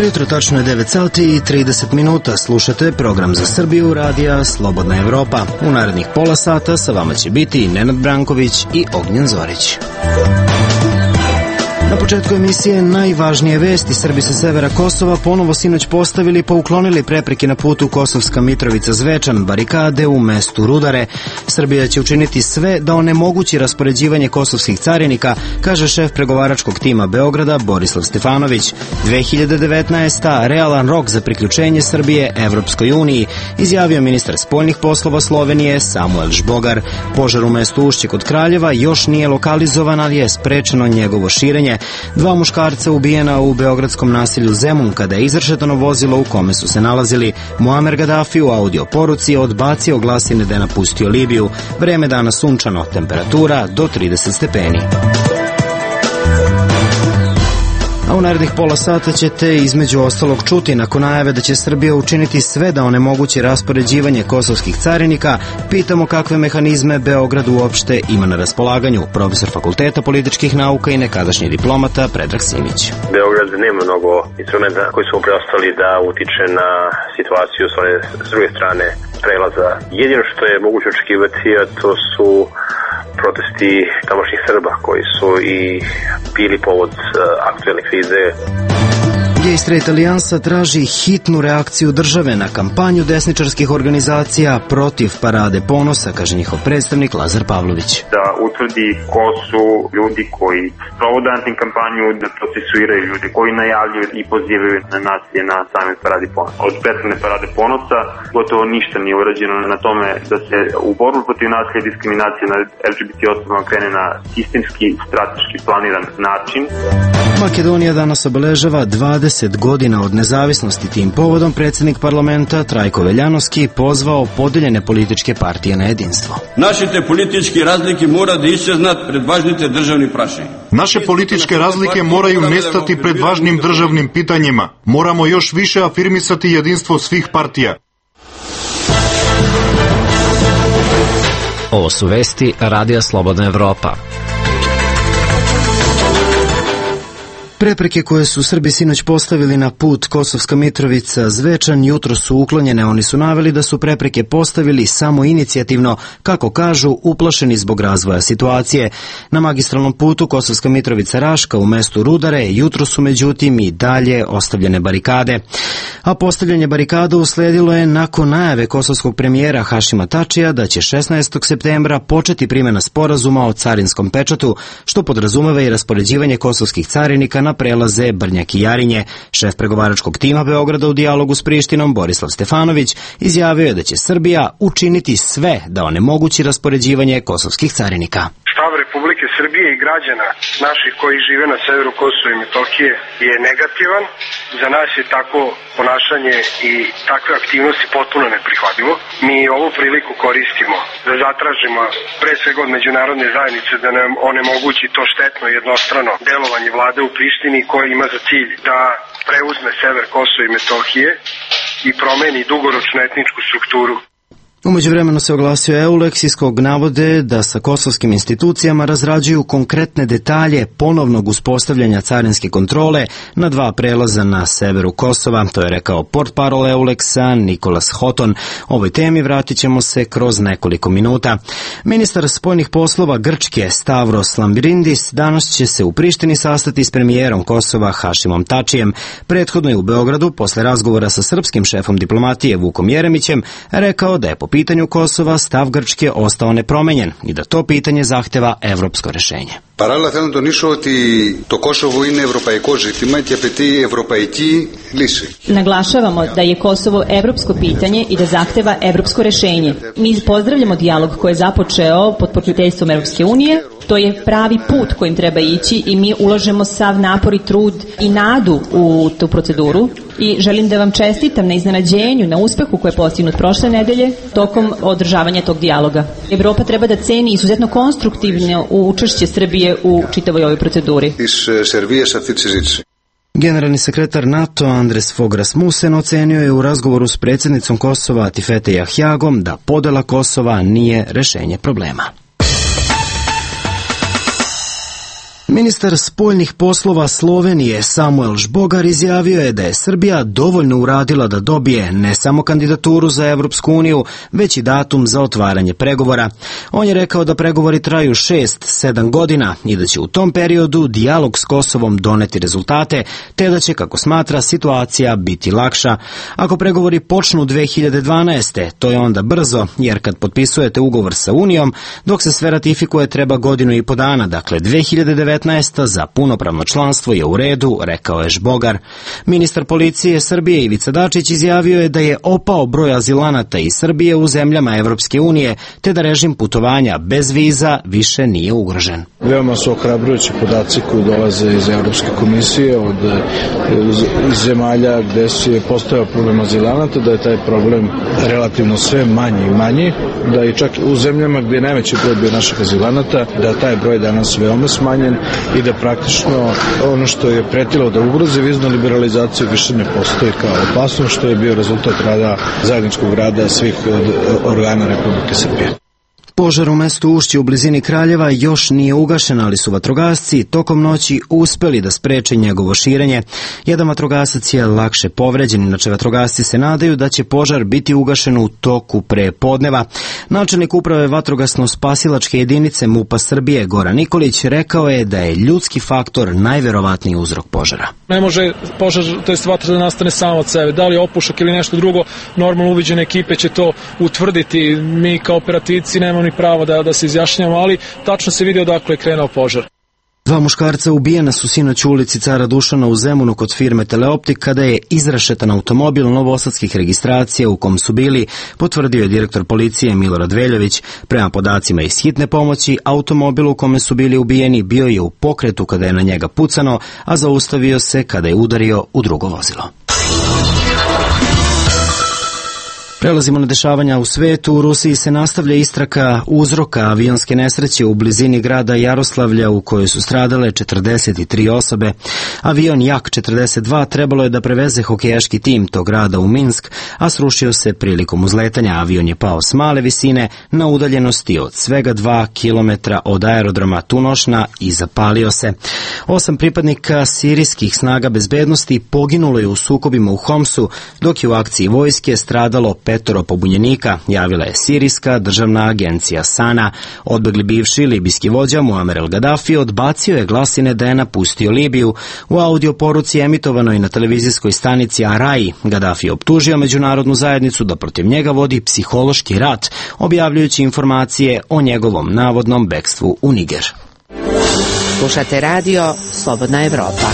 jutro, tačno je 9 sati i 30 minuta. Slušate program za Srbiju radija Slobodna Evropa. U narednih pola sata sa vama će biti Nenad Branković i Ognjen Zorić. Na početku emisije najvažnije vesti. Srbi sa severa Kosova ponovo sinoć postavili pa uklonili prepreke na putu Kosovska Mitrovica-Zvečan, barikade u mestu Rudare. Srbija će učiniti sve da onemogući raspoređivanje kosovskih carinika, kaže šef pregovaračkog tima Beograda Borislav Stefanović. 2019. realan rok za priključenje Srbije Evropskoj uniji, izjavio ministar spoljnih poslova Slovenije Samuel Žbogar. Požar u mestu Ušće kod Kraljeva još nije lokalizovan, ali je sprečeno njegovo širenje. 2 muškarca ubijena u beogradskom naselju Zemun kada je izršetano vozilo u kome su se nalazili. Muamer Gaddafi u audio poruci odbacio glasine da je napustio Libiju. Vreme dana sunčano, temperatura do 30 stepeni. A u narednih pola sata ćete između ostalog čuti nakon najave da će Srbija učiniti sve da onemogući raspoređivanje kosovskih carinika. Pitamo kakve mehanizme Beograd uopšte ima na raspolaganju. Profesor Fakulteta političkih nauka i nekadašnji diplomata Predrag Simić. Beograd nema mnogo instrumenta koji su preostali da utiče na situaciju s druge strane prelaza. Jedino što je moguće očekivati, a to su protesti tamošnjih Srba koji su i bili povod aktuelne krize. Gay Straight Alijansa traži hitnu reakciju države na kampanju desničarskih organizacija protiv Parade ponosa, kaže njihov predstavnik Lazar Pavlović. Da utvrdi ko su ljudi koji sprovode antikampanju, da procesuiraju ljudi koji najavljuju i pozivaju na nasilje na samoj Paradi ponosa. Od prethodne Parade ponosa gotovo ništa nije urađeno na tome da se u borbu protiv nasilja i diskriminacije na LGBT osobama krene na sistemski, strateški planiran način. Makedonija danas obeležava 20 godina od nezavisnosti. Tim povodom predsjednik parlamenta Trajko Veljanovski pozvao podeljene političke partije na jedinstvo. Našite političke razlike mora da iščeznat pred važnite državnim prašenjem. Naše političke razlike moraju nestati pred važnim državnim pitanjima. Moramo još više afirmisati jedinstvo svih partija. Ovo su vesti Radija Slobodna Evropa. Prepreke koje su Srbi sinoć postavili na put Kosovska Mitrovica-Zvečan jutro su uklonjene. Oni su naveli da su prepreke postavili samo inicijativno, kako kažu, uplašeni zbog razvoja situacije. Na magistralnom putu Kosovska Mitrovica-Raška u mestu Rudare jutro su međutim i dalje ostavljene barikade. A postavljanje barikada usledilo je nakon najave kosovskog premijera Hašima Tačija da će 16. septembra početi primjena sporazuma o carinskom pečatu, što podrazumeva i raspoređivanje kosovskih carinika na prelaze Brnjak i Jarinje. Šef pregovaračkog tima Beograda u dijalogu s Prištinom Borislav Stefanović izjavio je da će Srbija učiniti sve da onemogući raspoređivanje kosovskih carinika. Stav Republike Srbije i građana naših koji žive na severu Kosova i Metohije je negativan. Za nas je tako ponašanje i takve aktivnosti potpuno neprihvatljivo. Mi ovu priliku koristimo da zatražimo pre svega od međunarodne zajednice da nam onemogući to štetno jednostrano delovanje vlade u Prištini koje ima za cilj da preuzme sever Kosova i Metohije i promeni dugoročnu etničku strukturu. U međuvremenu se oglasio EULEX iz kog navode da sa kosovskim institucijama razrađuju konkretne detalje ponovnog uspostavljanja carinske kontrole na 2 prelaza na severu Kosova. To je rekao portparol EULEX-a Nikolas Hoton. Ovoj temi vratit ćemo se kroz nekoliko minuta. Ministar spoljnih poslova Grčke Stavros Lambrinidis danas će se u Prištini sastati s premijerom Kosova Hašimom Tačijem. Prethodno je u Beogradu, posle razgovora sa srpskim šefom diplomatije Vukom Jeremićem, rekao da je po pitanju Kosova stav Grčke ostao nepromenjen i da to pitanje zahteva evropsko rešenje. Παράλληλα θέλω να τονίσω ότι το Κόσοβο είναι ευρωπαϊκό ζήτημα και απαιτεί ευρωπαϊκή λύση. Naglašavamo da je Kosovo evropsko pitanje i da zahteva evropsko rešenje. Mi pozdravljamo dijalog koji je započeo pod pokroviteljstvom Evropske unije. To je pravi put kojim treba ići i mi ulažemo sav napor i trud i nadu u tu proceduru. I želim da vam čestitam na iznenađenju, na uspehu koji je postignut prošle nedelje tokom održavanja tog dijaloga. Evropa treba da ceni izuzetno konstruktivno učešće Srbije u čitavoj ovoj proceduri. Generalni sekretar NATO Andres Fogh Rasmussen ocenio je u razgovoru s predsjednicom Kosova Tifete Jahjagom da podela Kosova nije rešenje problema. Ministar spoljnih poslova Slovenije Samuel Žbogar izjavio je da je Srbija dovoljno uradila da dobije ne samo kandidaturu za Evropsku uniju, već i datum za otvaranje pregovora. On je rekao da pregovori traju 6-7 godina i da će u tom periodu dijalog s Kosovom doneti rezultate, te da će, kako smatra, situacija biti lakša. Ako pregovori počnu 2012. to je onda brzo, jer kad potpisujete ugovor sa Unijom, dok se sve ratifikuje treba godinu i po dana, dakle 2019. za punopravno članstvo je u redu, rekao je Žbogar. Ministar policije Srbije Ivica Dačić izjavio je da je opao broj azilanata iz Srbije u zemljama Evropske unije, te da režim putovanja bez viza više nije ugrožen. Veoma su ohrabrujući podaci koji dolaze iz Evropske komisije iz zemalja gde je postojao problem azilanata, da je taj problem relativno sve manji i manji, da i čak u zemljama gde je najveći broj bio naših azilanata, da taj broj danas veoma smanjen i da praktično ono što je pretilo da ugrozi viznu liberalizaciju više ne postoji kao opasno, što je bio rezultat rada, zajedničkog rada svih organa Republike Srbije. Požar u mestu Ušće u blizini Kraljeva još nije ugašen, ali su vatrogasci tokom noći uspeli da spreče njegovo širenje. Jedan vatrogasac je lakše povređen, inače vatrogasci se nadaju da će požar biti ugašen u toku pre podneva. Načelnik uprave vatrogasno-spasilačke jedinice MUP-a Srbije Goran Nikolić rekao je da je ljudski faktor najverovatniji uzrok požara. Ne može požar, to jest vatra da nastane samo od sebe. Da li je opušak ili nešto drugo, normalno uviđene ekipe će to utvrditi. Mi kao operativci nemamo ni pravo da se izjašnjamo, ali tačno se vidi odakle je krenuo požar. Dva muškarca ubijena su sinoć u ulici Cara Dušana u Zemunu kod firme Teleoptik kada je izrašetan automobil novosadskih registracija u kom su bili, potvrdio je direktor policije Milorad Veljović. Prema podacima iz hitne pomoći, automobil u kome su bili ubijeni bio je u pokretu kada je na njega pucano, a zaustavio se kada je udario u drugo vozilo. Prelazimo na dešavanja u svetu. U Rusiji se nastavlja istraga uzroka avionske nesreće u blizini grada Jaroslavlja u kojoj su stradale 43 osobe. Avion Jak-42 trebalo je da preveze hokejaški tim tog grada u Minsk, a srušio se prilikom uzletanja. Avion je pao s male visine na udaljenosti od svega 2 km od aerodroma Tunošna i zapalio se. 8 pripadnika sirijskih snaga bezbednosti poginulo je u sukobima u Homsu, dok je u akciji vojske stradalo 5 pobunjenika, javila je sirijska državna agencija SANA. Odbegli bivši libijski vođa Muamer el Gaddafi odbacio je glasine da je napustio Libiju. U audio poruci emitovanoj na televizijskoj stanici Arai, Gaddafi optužio međunarodnu zajednicu da protiv njega vodi psihološki rat, objavljujući informacije o njegovom navodnom bekstvu u Niger. Slušate radio Slobodna Evropa.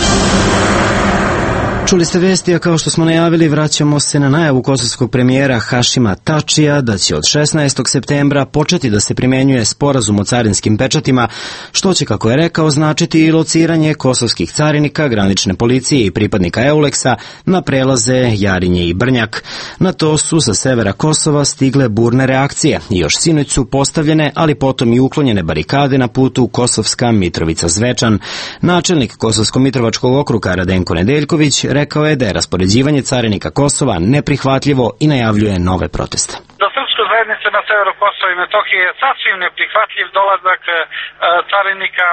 Čuli ste vesti, a kao što smo najavili, vraćamo se na najavu kosovskog premijera Hašima Tačija da će od 16. septembra početi da se primjenjuje sporazum o carinskim pečatima, što će, kako je rekao, značiti i lociranje kosovskih carinika, granične policije i pripadnika Euleksa na prelaze Jarinje i Brnjak. Na to su sa severa Kosova stigle burne reakcije i još sinoć su postavljene, ali potom i uklonjene barikade na putu Kosovska Mitrovica-Zvečan. Načelnik Kosovsko-Mitrovačkog okruga Radenko Nedeljković rekao je da je raspoređivanje carinika Kosova neprihvatljivo i najavljuje nove proteste. Za srpsku zajednicu na severu Kosova i Metohije je sasvim neprihvatljiv dolazak carinika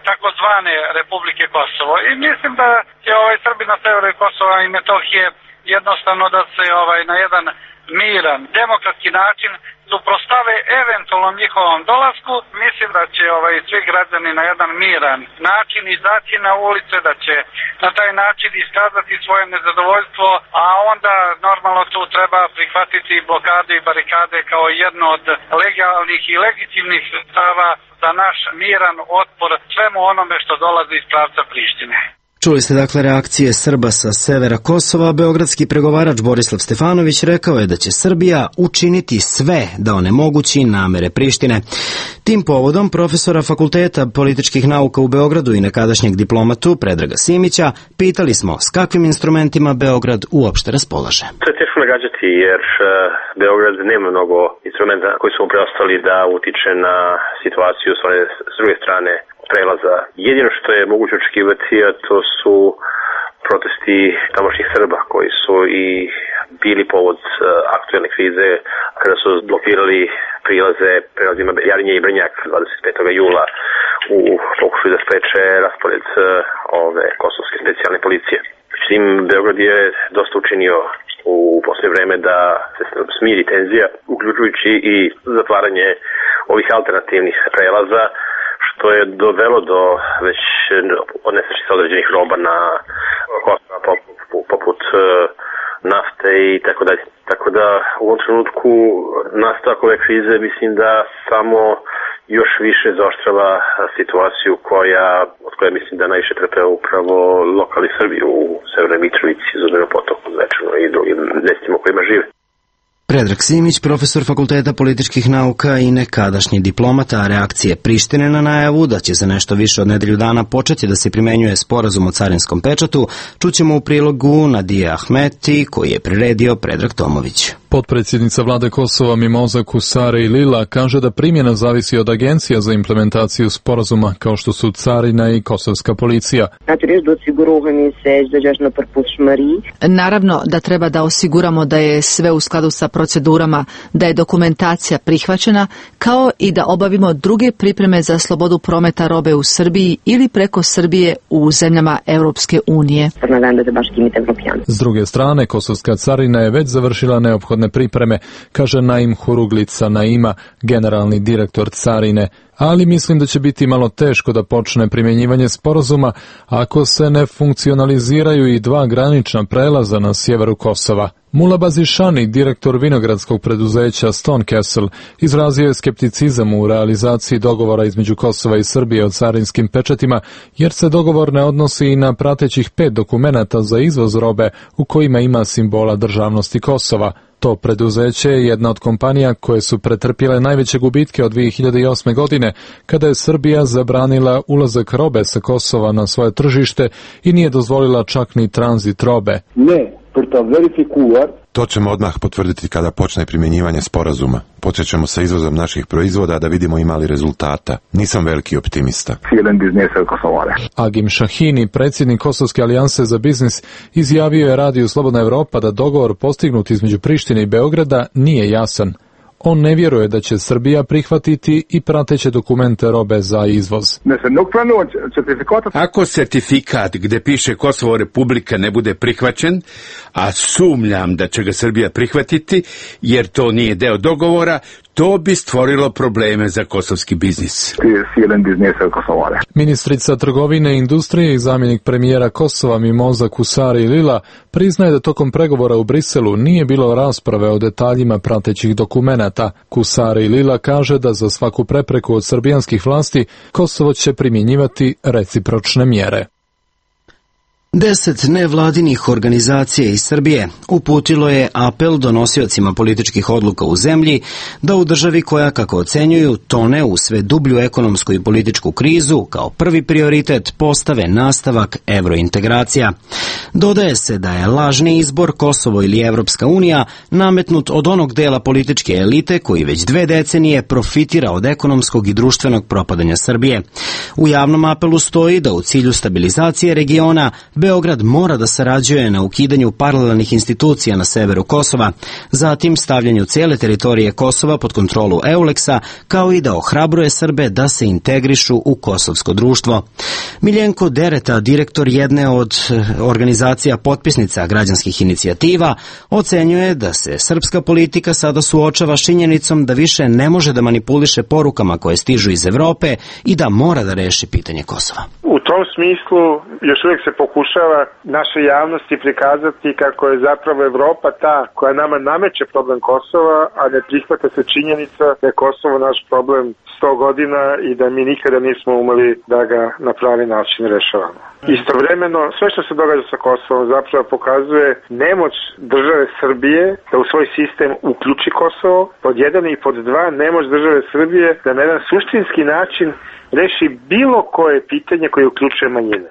takozvane Republike Kosovo. I mislim da će Srbi na severu Kosova i Metohije jednostavno da se na jedan miran, demokratski način suprostave eventualnom njihovom dolasku. Mislim da će svi građani na jedan miran način izaći na ulice, da će na taj način iskazati svoje nezadovoljstvo, a onda normalno tu treba prihvatiti blokade i barikade kao jedno od legalnih i legitimnih sredstava za naš miran otpor svemu onome što dolazi iz pravca Prištine. Čuli ste dakle reakcije Srba sa severa Kosova. Beogradski pregovarač Borislav Stefanović rekao je da će Srbija učiniti sve da onemogući namere Prištine. Tim povodom profesora Fakulteta političkih nauka u Beogradu i nekadašnjeg diplomatu Predraga Simića pitali smo s kakvim instrumentima Beograd uopšte raspolaže. To je teško nagađati jer Beograd nema mnogo instrumenta koji su mu preostali da utiče na situaciju s druge strane prelaza. Jedino što je moguće očekivati, a to su protesti tamošnjih Srba koji su i bili povod aktuelne krize kada su blokirali prelazima Jarinje i Brnjak 25. jula u pokušaju da spreče raspored ove kosovske specijalne policije. Međutim, Beograd je dosta učinio u posljednje vreme da se smiri tenzija, uključujući i zatvaranje ovih alternativnih prelaza, što je dovelo do već nestašice određenih roba na Kosovo, poput nafte i tako dalje. Tako da u ovom trenutku nastavak ove krize mislim da samo još više zaoštrava situaciju od koje mislim da najviše trpe upravo lokali Srbi u Severnoj Mitrovici, Zubinom Potoku, Zvečanu i drugim mestima u kojima žive. Predrag Simić, profesor Fakulteta političkih nauka i nekadašnji diplomata, reakcije Prištine na najavu da će za nešto više od nedelju dana početi da se primenjuje sporazum o carinskom pečatu, čućemo u prilogu Nadije Ahmeti, koji je priredio Predrag Tomović. Potpredsjednica vlade Kosova Mimoza Kusare Lila kaže da primjena zavisi od agencija za implementaciju sporazuma kao što su carina i kosovska policija. Naravno da treba da osiguramo da je sve u skladu sa procedurama, da je dokumentacija prihvaćena, kao i da obavimo druge pripreme za slobodu prometa robe u Srbiji ili preko Srbije u zemljama Europske unije. S druge strane, kosovska carina je već završila neophodne pripreme, kaže Naim Huruglica Naima, generalni direktor carine, ali mislim da će biti malo teško da počne primjenjivanje sporazuma ako se ne funkcionaliziraju i dva granična prelaza na sjeveru Kosova. Mula Bazišani, direktor vinogradskog preduzeća Stone Castle, izrazio je skepticizam u realizaciji dogovora između Kosova i Srbije o carinskim pečatima, jer se dogovor ne odnosi i na pratećih 5 dokumenata za izvoz robe u kojima ima simbola državnosti Kosova. To preduzeće je jedna od kompanija koje su pretrpjele najveće gubitke od 2008. godine, kada je Srbija zabranila ulazak robe sa Kosova na svoje tržište i nije dozvolila čak ni tranzit robe. To ćemo odmah potvrditi kada počne primjenjivanje sporazuma. Počećemo sa izvozom naših proizvoda da vidimo ima li rezultata. Nisam veliki optimista. Agim Šahini, predsjednik Kosovske alijanse za biznis, izjavio je radiju Slobodna Evropa da dogovor postignut između Prištine i Beograda nije jasan. On ne vjeruje da će Srbija prihvatiti i prateće dokumente robe za izvoz. Ako sertifikat gde piše Kosovo Republika ne bude prihvaćen, a sumnjam da će ga Srbija prihvatiti, jer to nije deo dogovora, to bi stvorilo probleme za kosovski biznis. Ministrica trgovine i industrije i zamjenik premijera Kosova Mimoza Kusari Lila priznaje da tokom pregovora u Briselu nije bilo rasprave o detaljima pratećih dokumenata. Kusari Lila kaže da za svaku prepreku od srbijanskih vlasti Kosovo će primjenjivati recipročne mjere. 10 nevladinih organizacija iz Srbije uputilo je apel donosiocima političkih odluka u zemlji da u državi koja, kako ocenjuju, tone u sve dublju ekonomsku i političku krizu, kao prvi prioritet postave nastavak evrointegracija. Dodaje se da je lažni izbor Kosovo ili Evropska unija nametnut od onog dela političke elite koji već 2 decenije profitira od ekonomskog i društvenog propadanja Srbije. U javnom apelu stoji da u cilju stabilizacije regiona Beograd mora da sarađuje na ukidanju paralelnih institucija na severu Kosova, zatim stavljanju cijele teritorije Kosova pod kontrolu EULEX-a, kao i da ohrabruje Srbe da se integrišu u kosovsko društvo. Miljenko Dereta, direktor jedne od organizacija potpisnica građanskih inicijativa, ocenjuje da se srpska politika sada suočava s činjenicom da više ne može da manipuliše porukama koje stižu iz Evrope i da mora da reši pitanje Kosova. U tom smislu još uvijek se pokušava našoj javnosti prikazati kako je zapravo Evropa ta koja nama nameće problem Kosova, a ne prihvata se činjenica da je Kosovo naš problem 100 godina i da mi nikada nismo umeli da ga na pravi način rešavamo. Istovremeno, sve što se događa sa Kosovom zapravo pokazuje nemoć države Srbije da u svoj sistem uključi Kosovo, pod 1 i pod 2 nemoć države Srbije da na jedan suštinski način reši bilo koje pitanje koje uključuje manjine.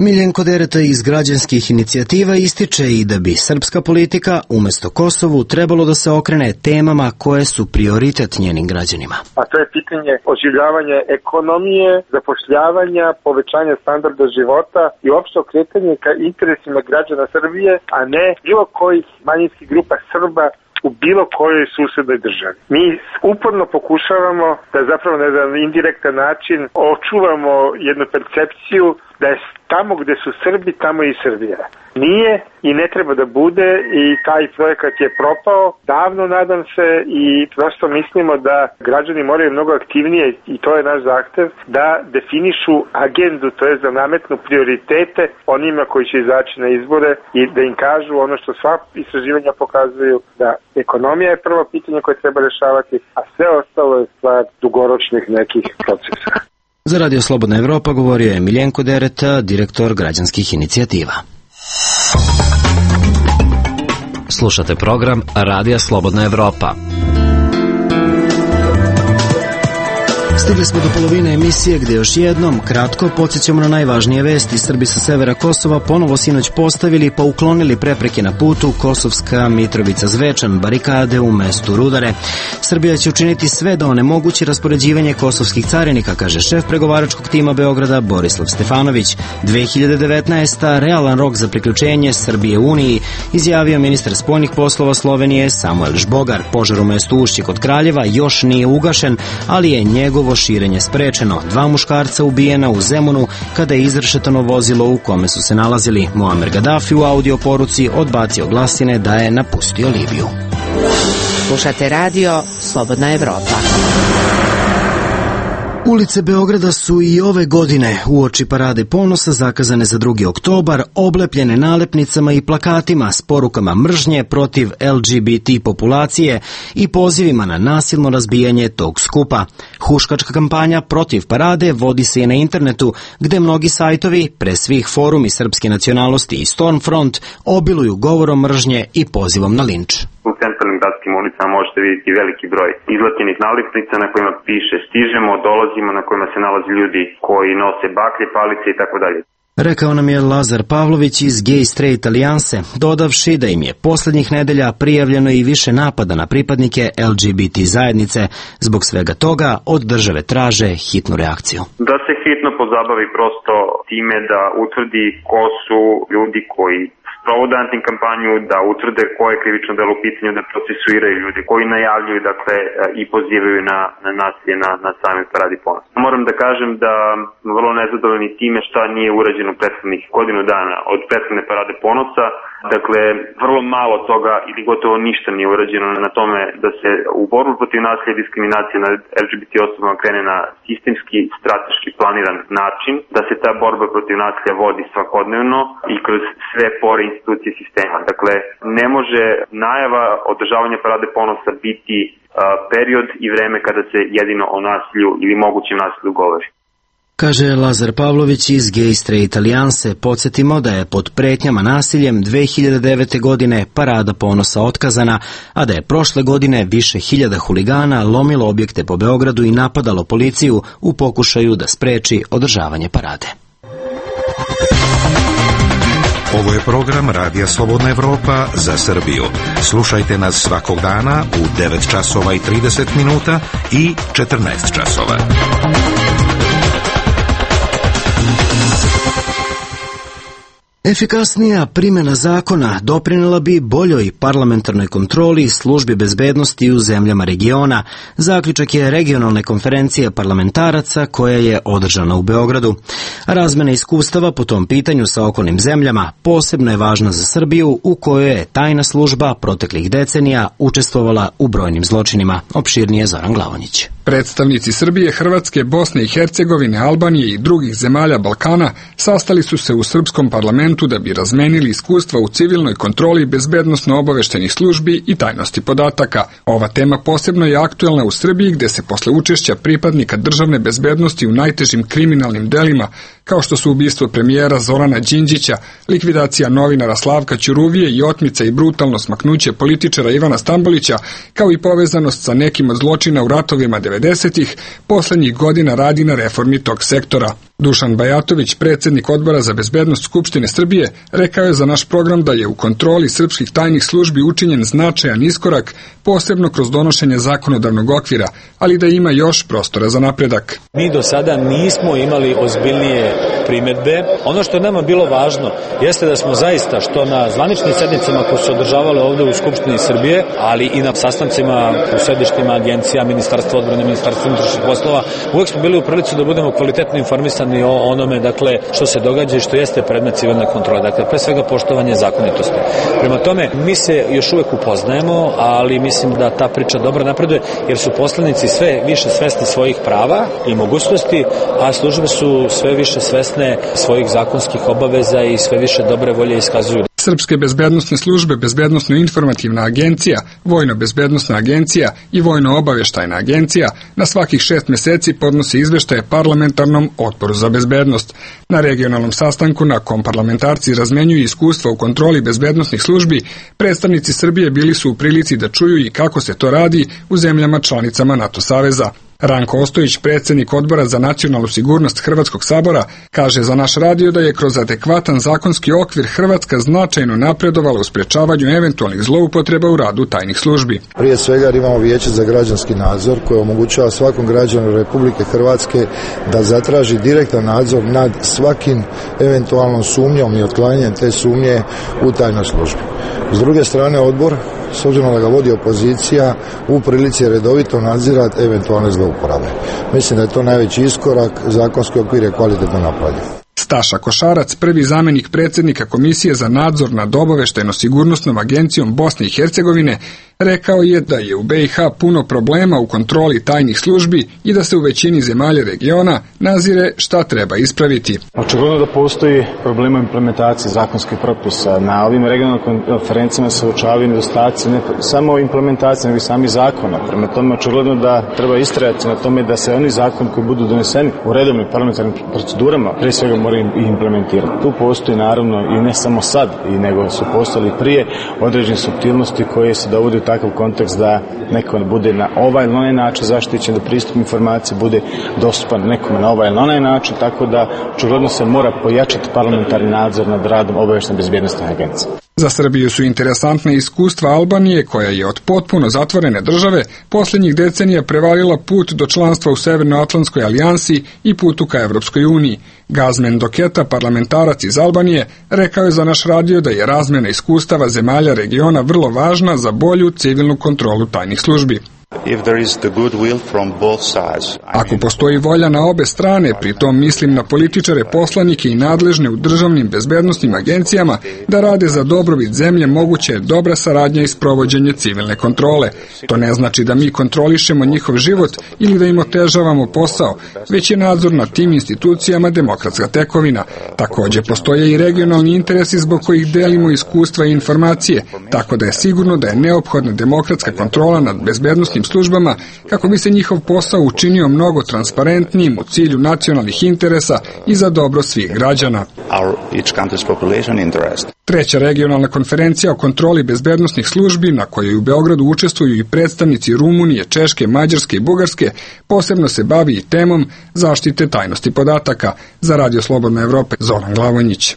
Miljenko Dereta iz građanskih inicijativa ističe i da bi srpska politika umjesto Kosovu trebalo da se okrene temama koje su prioritet njenim građanima. A to je pitanje oživljavanja ekonomije, zapošljavanja, povećanja standarda života i opšte okretanje ka interesima građana Srbije, a ne bilo kojih manjinskih grupa Srba u bilo kojoj susednoj državi. Mi uporno pokušavamo da zapravo na jedan indirektan način očuvamo jednu percepciju da je tamo gde su Srbi, tamo i Srbija. Nije i ne treba da bude i taj projekat je propao davno, nadam se, i prosto mislimo da građani moraju mnogo aktivnije, i to je naš zahtev, da definišu agendu, to je da nametnu prioritete onima koji će izaći na izbore i da im kažu ono što sva istraživanja pokazuju, da ekonomija je prvo pitanje koje treba rešavati, a sve ostalo je stvar dugoročnih nekih procesa. Za Radio Slobodna Evropa govorio je Miljenko Dereta, direktor građanskih inicijativa. Slušate program Radija Slobodna Evropa. Stigli smo do polovine emisije gde još jednom kratko podsjećamo na najvažnije vesti. Srbi sa severa Kosova ponovo sinoć postavili pa uklonili prepreke na putu Kosovska Mitrovica-Zvečan, barikade u mestu Rudare. Srbija će učiniti sve da onemogući raspoređivanje kosovskih carinika, kaže šef pregovaračkog tima Beograda Borislav Stefanović. 2019. realan rok za priključenje Srbije Uniji, izjavio ministar spoljnih poslova Slovenije Samuel Žbogar. Požar u mestu Ušće kod Kraljeva još nije ugašen, ali je njegovo širenje sprečeno. 2 muškarca ubijena u Zemunu kada je izrešetano vozilo u kome su se nalazili. Muamer Gaddafi u audio poruci odbacio glasine da je napustio Libiju. Slušate radio Slobodna Evropa. Ulice Beograda su i ove godine uoči Parade ponosa zakazane za 2. oktobar, oblepljene nalepnicama i plakatima s porukama mržnje protiv LGBT populacije i pozivima na nasilno razbijanje tog skupa. Huškačka kampanja protiv parade vodi se i na internetu, gde mnogi sajtovi, pre svih forumi srpske nacionalnosti i Stormfront, obiluju govorom mržnje i pozivom na linč. U centralnim gradskim ulicama možete vidjeti veliki broj izlapljenih nalepnica na kojima piše stižemo, dolazimo, na kojima se nalaze ljudi koji nose baklje, palice i tako dalje. Rekao nam je Lazar Pavlović iz Gay Straight Alijanse, dodavši da im je poslednjih nedelja prijavljeno i više napada na pripadnike LGBT zajednice. Zbog svega toga od države traže hitnu reakciju. Da se hitno pozabavi prosto time da utvrdi ko su ljudi koji sprovode antikampanju, da utvrde koje je krivično delo u pitanju, da procesuiraju ljudi koji najavljuju, dakle, i pozivaju na nasilje na samoj Paradi ponosa. Moram da kažem da smo vrlo nezadovoljni time šta nije urađeno prethodnih godinu dana od prethodne Parade ponosa. Dakle, vrlo malo toga ili gotovo ništa nije urađeno na tome da se u borbu protiv nasilja i diskriminacije nad LGBT osobama krene na sistemski, strateški planiran način, da se ta borba protiv nasilja vodi svakodnevno i kroz sve pore institucije sistema. Dakle, ne može najava održavanja Parade ponosa biti period i vreme kada se jedino o nasilju ili mogućem nasilju govori. Kaže Lazar Pavlović iz Gay Straight Alijanse. Podsjetimo da je pod pretnjama nasiljem 2009. godine Parada ponosa otkazana, a da je prošle godine više hiljada huligana lomilo objekte po Beogradu i napadalo policiju u pokušaju da spreči održavanje parade. Ovo je program Radija Slobodna Evropa za Srbiju. Slušajte nas svakog dana u 9 časova i 30 minuta i 14 časova. Efikasnija primjena zakona doprinela bi boljoj parlamentarnoj kontroli službi bezbednosti u zemljama regiona. Zaključak je regionalne konferencije parlamentaraca koja je održana u Beogradu. Razmena iskustava po tom pitanju sa okolnim zemljama posebno je važna za Srbiju, u kojoj je tajna služba proteklih decenija učestvovala u brojnim zločinima. Opširnije Zoran Glavonjić. Predstavnici Srbije, Hrvatske, Bosne i Hercegovine, Albanije i drugih zemalja Balkana sastali su se u srpskom parlamentu da bi razmenili iskustva u civilnoj kontroli bezbednosno-obaveštenih službi i tajnosti podataka. Ova tema posebno je aktuelna u Srbiji, gde se posle učešća pripadnika državne bezbednosti u najtežim kriminalnim delima, kao što su ubistvo premijera Zorana Đinđića, likvidacija novinara Slavka Ćuruvije i otmica i brutalno smaknuće političara Ivana Stambolića, kao i povezanost sa nekim od zločina u ratovima 90-ih, poslednjih godina radi na reformi tog sektora. Dušan Bajatović, predsjednik Odbora za bezbednost Skupštine Srbije, rekao je za naš program da je u kontroli srpskih tajnih službi učinjen značajan iskorak, posebno kroz donošenje zakonodavnog okvira, ali da ima još prostora za napredak. Mi do sada nismo imali ozbiljnije primedbe. Ono što je nama bilo važno jeste da smo zaista, što na zvaničnim sednicama koje su održavale ovde u Skupštini Srbije, ali i na sastancima u sedištima agencija, Ministarstva odbrane, Ministarstva unutrašnjih poslova, uvek smo bili u prilici da budemo kvalitetno informisani o onome, dakle, što se događa i što jeste predmet civilne kontrole. Dakle, pre svega poštovanje zakonitosti. Prema tome, mi se još uvek upoznajemo, ali mislim da ta priča dobro napreduje, jer su poslanici sve više svesni svojih prava i mogućnosti, a službe su sve više svesne svojih zakonskih obaveza i sve više dobre volje iskazuju. Srpske bezbednosne službe, Bezbednosno-informativna agencija, Vojno-bezbednosna agencija i Vojno-obaveštajna agencija na svakih 6 meseci podnose izveštaje parlamentarnom Odboru za bezbednost. Na regionalnom sastanku na kom parlamentarci razmenjuju iskustva u kontroli bezbednosnih službi, predstavnici Srbije bili su u prilici da čuju i kako se to radi u zemljama članicama NATO saveza. Ranko Ostojić, predsjednik Odbora za nacionalnu sigurnost Hrvatskog sabora, kaže za naš radio da je kroz adekvatan zakonski okvir Hrvatska značajno napredovala u sprečavanju eventualnih zloupotreba u radu tajnih službi. Prije svega imamo Vijeće za građanski nadzor koje omogućava svakom građanu Republike Hrvatske da zatraži direktan nadzor nad svakim eventualnom sumnjom i otklanjanjem te sumnje u tajnoj službi. S druge strane, odbor, s obzirom da ga vodi opozicija, u prilici redovito nadzirati eventualne zlouporabe. Mislim da je to najveći iskorak, zakonski okvir je kvalitetno napravljen. Staša Košarac, prvi zamenik predsjednika Komisije za nadzor nad obaveštajno-sigurnosnom agencijom Bosne i Hercegovine, rekao je da je u BiH puno problema u kontroli tajnih službi i da se u većini zemalja regiona nazire šta treba ispraviti. Očigledno da postoji problema implementacije zakonskih propisa. Na ovim regionalnim konferencijama se uočavaju nedostaci ne samo implementacije, nego i sami zakona. Prema tome, očigledno da treba istrajati na tome da se oni zakoni koji budu doneseni u redovnim parlamentarnim procedurama, pre svega moraju i implementirati. Tu postoji naravno i ne samo sad, nego su postali prije određene suptilnosti koje se dovode u takav kontekst da neko bude na ovaj ili onaj način zaštićen, da pristup informacije bude dostupan nekome na ovaj ili onaj način, tako da očigledno se mora pojačati parlamentarni nadzor nad radom obavještajne bezbjednosne agencije. Za Srbiju su interesantne iskustva Albanije, koja je od potpuno zatvorene države posljednjih decenija prevalila put do članstva u Severnoatlantskoj alijansi i putu ka Evropskoj uniji. Gazmen Doketa, parlamentarac iz Albanije, rekao je za naš radio da je razmjena iskustava zemalja regiona vrlo važna za bolju civilnu kontrolu tajnih službi. Ako postoji volja na obe strane, pri tom mislim na političare, poslanike i nadležne u državnim bezbednosnim agencijama, da rade za dobrobit zemlje, moguće je dobra saradnja i sprovođenje civilne kontrole. To ne znači da mi kontrolišemo njihov život ili da im otežavamo posao, već je nadzor nad tim institucijama demokratska tekovina. Također postoje i regionalni interesi zbog kojih delimo iskustva i informacije, tako da je sigurno da je neophodna demokratska kontrola nad bezbednosnim službama kako bi se njihov posao učinio mnogo transparentnijim u cilju nacionalnih interesa i za dobro svih građana. Treća regionalna konferencija o kontroli bezbednosnih službi, na kojoj u Beogradu učestvuju i predstavnici Rumunije, Češke, Mađarske i Bugarske, posebno se bavi i temom zaštite tajnosti podataka. Za Radio Slobodna Evropa, Zoran Glavonjić.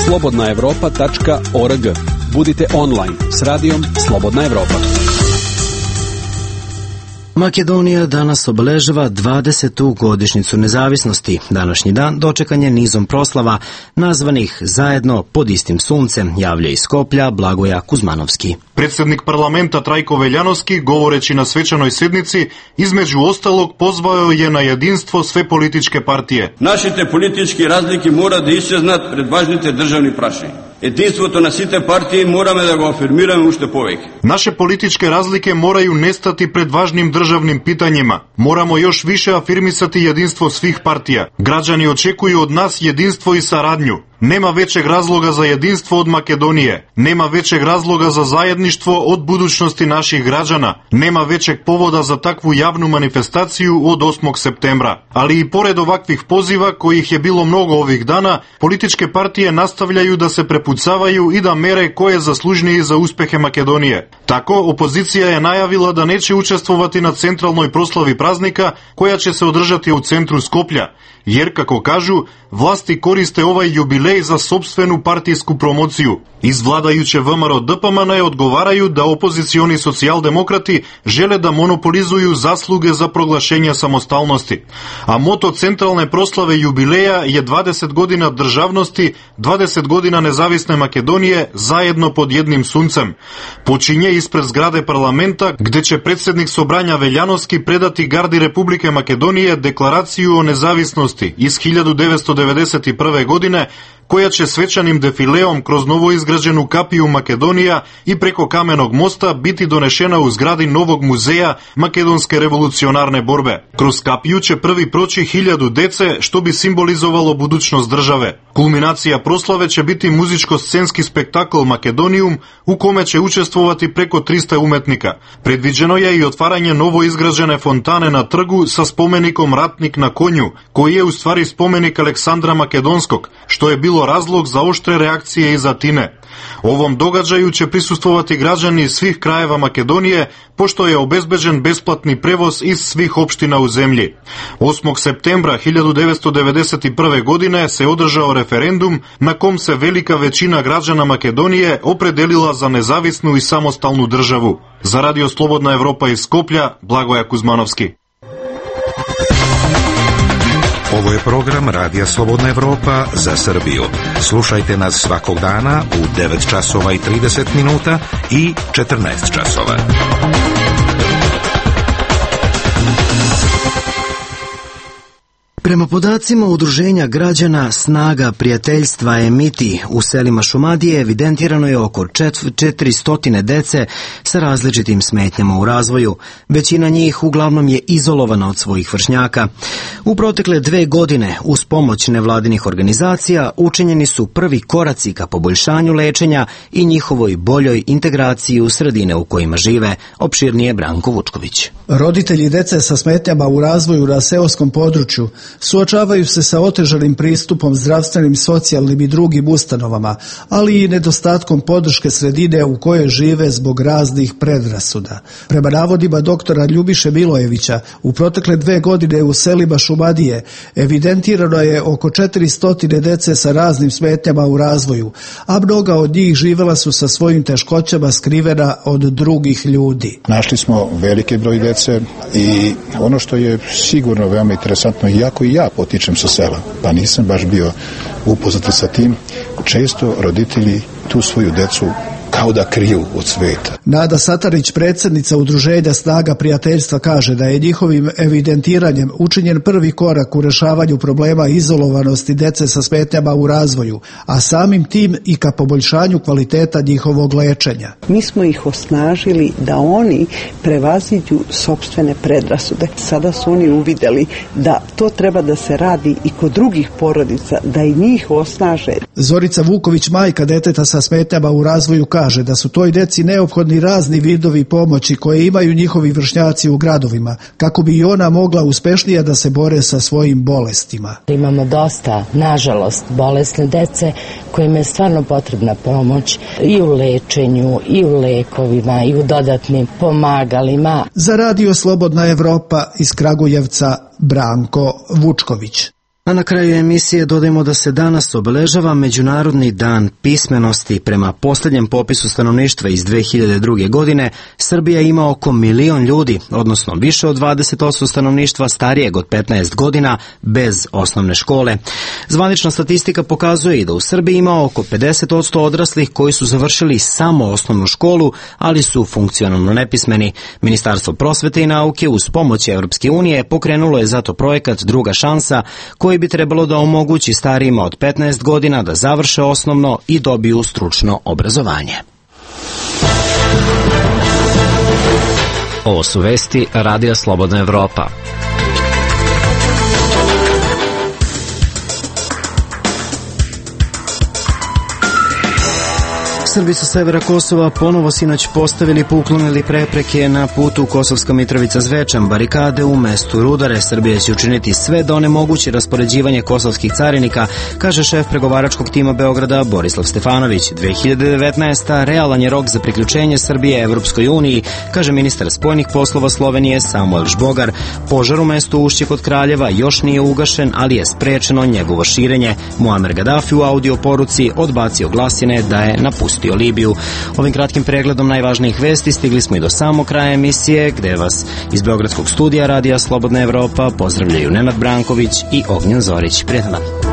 slobodnaevropa.org. Budite online s radijom Slobodna Evropa. Makedonija danas obeležava 20. godišnjicu nezavisnosti. Današnji dan dočekan je nizom proslava nazvanih zajedno pod istim suncem, javlja iz Skoplja Blagoja Kuzmanovski. Predsjednik parlamenta Trajko Veljanovski, govoreći na svečanoj sednici, između ostalog pozvao je na jedinstvo sve političke partije. Нашите политички разлики мора да исчезнат пред важните државни прашања. Единството на сите партии мораме да го афирмираме уште повеќе. Naše političke razlike moraju nestati pred važnim državnim pitanjima. Moramo još više afirmisati jedinstvo svih partija. Građani očekuju od nas jedinstvo i saradnju. Nema većeg razloga za jedinstvo od Makedonije. Nema većeg razloga za zajedništvo od budućnosti naših građana. Nema većeg povoda za takvu javnu manifestaciju od 8. septembra. Ali i pored ovakvih poziva, kojih je bilo mnogo ovih dana, političke partije nastavljaju da se prepucavaju i da mere ko je zaslužniji za uspehe Makedonije. Tako, opozicija je najavila da neće učestvovati na centralnoj proslavi празника, која ќе се одржати у центру Скопје, jer, како кажу, власти користе овај јубилеј за собствену партиску промоцију. Из владајуче ВМРО ДПМН одговарају да опозициони социјалдемократи желе да монополизују заслуге за проглашение самосталности. А мото централне прославе јубилеја е 20 година државности, 20 година независна Македонија заедно под едним сунцем. Почиње испред зграде парламента, где ќе председник Собрања Велјановски предати Гарди Република Македонија декларацију о независности из 1991 година, која ќе свечаним дефилеом кроз новоизграđenu капију Македонија и преко каменог моста бити донешена у згради новог музеја Македонске револуционарне борбе. Кроз капију ќе први прочи 1000 деце, што би символизовало будучност државе. Кулминација прославе ќе бити музичко-сценски спектакл Македониум, у коме ќе учествувати преко 300 уметника. Предвиđено е и отварање новоизграđene фонтане на тргу со спомеником Ратник на коњу, кој е уствари споменик Александра Македонскog, што е било разлог за оштре реакcije из Атине. Овом догаđaju će prisustvovati građani iz svih krajeva Makedonije, pošto je obezbeđen besplatni prevoz iz svih opština u zemlji. 8. septembra 1991. godine se održao referendum na kom se velika većina građana Makedonije opredelila za nezavisnu i samostalnu državu. Za Radio Slobodna Evropa iz Skoplja, Blagoja Kuzmanovski. Ovo je program Radija Slobodna Evropa za Srbiju. Slušajte nas svakog dana u 9 časova i 30 minuta i 14 časova. Prema podacima Udruženja građana Snaga prijateljstva Emiti u selima Šumadije evidentirano je oko 400 dece sa različitim smetnjama u razvoju. Većina njih uglavnom je izolovana od svojih vršnjaka. U protekle 2 godine uz pomoć nevladinih organizacija učinjeni su prvi koraci ka poboljšanju lečenja i njihovoj boljoj integraciji u sredine u kojima žive. Opširnije Branko Vučković. Roditelji dece sa smetnjama u razvoju na seoskom području suočavaju se sa otežanim pristupom zdravstvenim, socijalnim i drugim ustanovama, ali i nedostatkom podrške sredine u kojoj žive zbog raznih predrasuda. Prema navodima doktora Ljubiše Milojevića, u protekle 2 godine u selima Šumadije evidentirano je oko 400 dece sa raznim smetnjama u razvoju, a mnoga od njih živela su sa svojim teškoćama skrivena od drugih ljudi. Našli smo veliki broj dece i ono što je sigurno veoma interesantno, iako i ja potičem sa sela, pa nisam baš bio upoznat sa tim, često roditelji tu svoju decu kao da kriju od sveta. Nada Satarić, predsjednica Udruženja Snaga prijateljstva, kaže da je njihovim evidentiranjem učinjen prvi korak u rešavanju problema izolovanosti dece sa smetnjama u razvoju, a samim tim i ka poboljšanju kvaliteta njihovog lečenja. Mi smo ih osnažili da oni prevaziđu sopstvene predrasude. Sada su oni uvideli da to treba da se radi i kod drugih porodica, da i njih osnaže. Zorica Vuković, majka deteta sa smetnjama u razvoju, kaže da su toj deci neophodni razni vidovi pomoći koje imaju njihovi vršnjaci u gradovima, kako bi i ona mogla uspešnije da se bore sa svojim bolestima. Imamo dosta, nažalost, bolesne dece kojima je stvarno potrebna pomoć i u lečenju, i u lekovima, i u dodatnim pomagalima. Za Radio Slobodna Evropa iz Kragujevca, Branko Vučković. A na kraju emisije dodajemo da se danas obeležava Međunarodni dan pismenosti. Prema posljednjem popisu stanovništva iz 2002. godine, Srbija ima oko 1 milion ljudi, odnosno više od 20% stanovništva starijeg od 15 godina bez osnovne škole. Zvanična statistika pokazuje i da u Srbiji ima oko 50% odraslih koji su završili samo osnovnu školu, ali su funkcionalno nepismeni. Ministarstvo prosvete i nauke uz pomoć Evropske unije pokrenulo je zato projekat Druga šansa, koji bi trebalo da omogući starijima od 15 godina da završe osnovno i dobiju stručno obrazovanje. Ovo su vesti Radija Slobodna Evropa. Srbi sa severa Kosova ponovo sinoć postavili pa uklonili prepreke na putu Kosovska Mitrovica-Zvečan, barikade u mestu Rudare. Srbija će učiniti sve da onemogući raspoređivanje kosovskih carinika, kaže šef pregovaračkog tima Beograda Borislav Stefanović. 2019. realan je rok za priključenje Srbije Evropskoj uniji, kaže ministar spoljnih poslova Slovenije Samuel Žbogar. Požar u mestu Ušće kod Kraljeva još nije ugašen, ali je sprečeno njegovo širenje. Muamer Gaddafi u audio poruci odbacio glasine da je napustio Libiju. Ovim kratkim pregledom najvažnijih vesti stigli smo i do samog kraja emisije, gde vas iz Beogradskog studija Radija Slobodna Evropa pozdravljaju Nenad Branković i Ognjen Zorić. Prijetan dan.